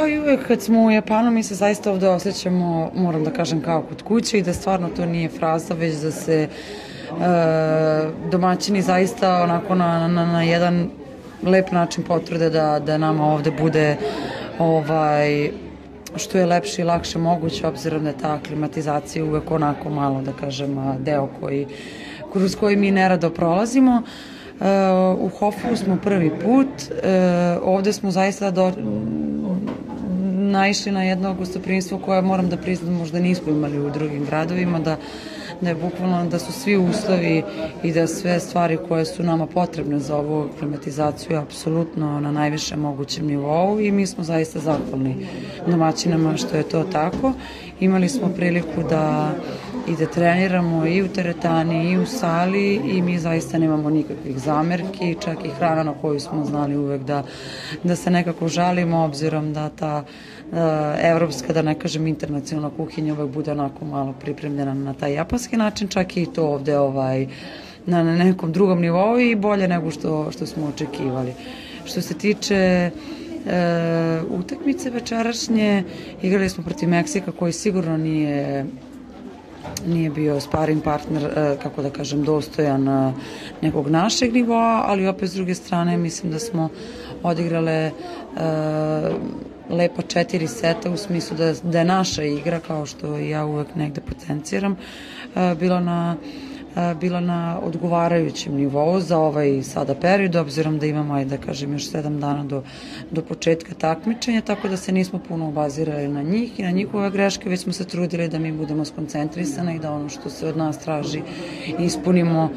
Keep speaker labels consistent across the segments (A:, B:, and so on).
A: kao i uvek kad smo u Japanu, mi se zaista ovde osjećamo, moram da kažem, kao kod kuće i da stvarno to nije fraza, već da se domaćini zaista onako na jedan lep način potvrde da nama ovde bude što je lepše i lakše moguće, obzirom da je ta klimatizacija uvek onako malo, da kažem, deo kroz koji mi nerado prolazimo. U Hofu smo prvi put, ovde smo zaista naišli na jedno gostoprimstvo koje, moram da priznam, možda nismo imali u drugim gradovima, da je bukvalno da su svi uslovi i da sve stvari koje su nama potrebne za ovu klimatizaciju apsolutno na najvišem mogućem nivou i mi smo zaista zahvalni domaćinama što je to tako. Imali smo priliku da treniramo i u teretani i u sali i mi zaista nemamo nikakvih zamerki, čak i hrana na koju smo znali uvek da se nekako žalimo, obzirom da ta evropska, da ne kažem internacionalna kuhinja uvek bude onako malo pripremljena na taj japanski način, čak i to ovde na nekom drugom nivou i bolje nego što smo očekivali. Što se tiče utakmice večerašnje, igrali smo protiv Meksika koji sigurno nije bio sparing partner, kako da kažem, dostojan nekog našeg nivoa, ali opet s druge strane mislim da smo odigrale lepa 4 seta u smislu da je naša igra, kao što ja uvek negde potenciram, bila na odgovarajućem nivou za ovaj sada period, obzirom da imamo, da kažem, još 7 dana do početka takmičenja, tako da se nismo puno obazirali na njih i na njihove greške, već smo se trudili da mi budemo skoncentrisani i da ono što se od nas traži ispunimo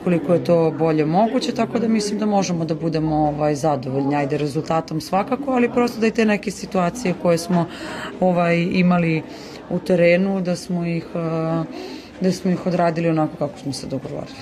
A: koliko je to bolje moguće, tako da mislim da možemo da budemo zadovoljni, ajde rezultatom svakako, ali prosto da i te neke situacije koje smo imali u terenu, da smo ih odradili onako kako smo se dogovorili.